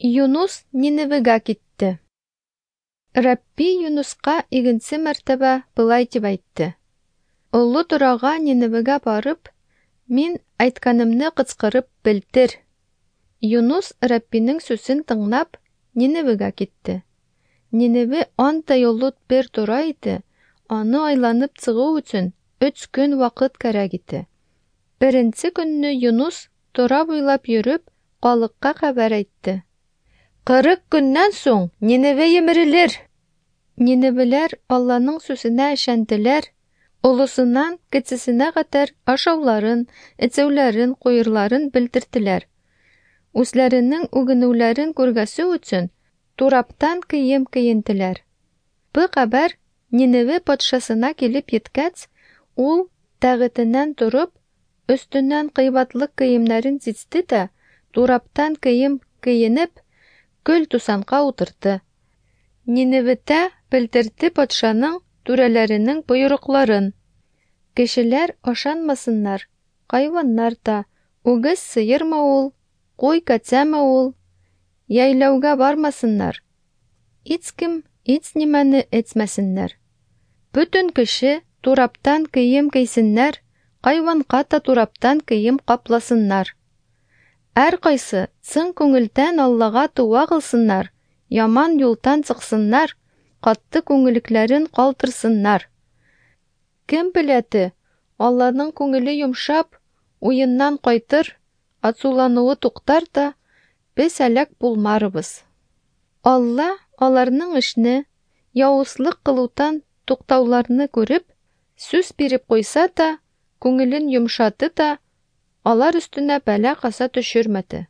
Юнус Ниневегә китте. Рабби Юнуска игенче мәртәбә болай дип әйтте: Олы торага Ниневегә барып, мин әйткәнемне кычкырып белдер. Юнус Раббинең сүзен тыңлап, Ниневегә китте. Ниневе андай олы бер тора иде, аны айланып чыгу өчен өч көн вакыт кәрәк иде. Беренче көнне Юнус тора буйлап йөреп, халыкка хәбәр әйтте. 40 көннән соң Ниневе емерелер. Ниневеләр Алланың сүзенә ышандылар, олысыннан кечесенә кадәр ашауларын, эчүләрен, куерларын белдерделәр. Үзләренең үгенүләрен күргәсе өчен тураптан кием киенделәр. Бу хәбәр Ниневе патшасына килеп еткәч, ул тәгытеннән торып, өстеннән кыйбатлы киемнәрен чичте дә, тураптан кием киенеп, көл тусанка утырды. Ниневедә белдерде патшаның түрәләренең боерыкларын. Кешеләр ашанмасыннар, хайваннар да, үгез сыермы ул, куй кәтсәме ул, яйлауга бармасыннар. Һичкем һич нимәне әйтмәсеннәр. Бөтен кеше тураптан кием кисеннәр, хайванга та тураптан кием капласыннар. Һәркайсы чын күңелдән Аллага туа кылсыннар, яман юлдан чыксыннар, катты күңеллекләрен калтырсыннар. Кем беләте, Алланың күңеле йомшап, уеннан кайтыр, ацулануы туктар да, без әләк булмарбыз. Алла аларның эшне, явызлык кылудан туктауларны күреп, сүз биреп куйса да, күңелен йомшатты да, алар өстенә бәла-каза төшермәде.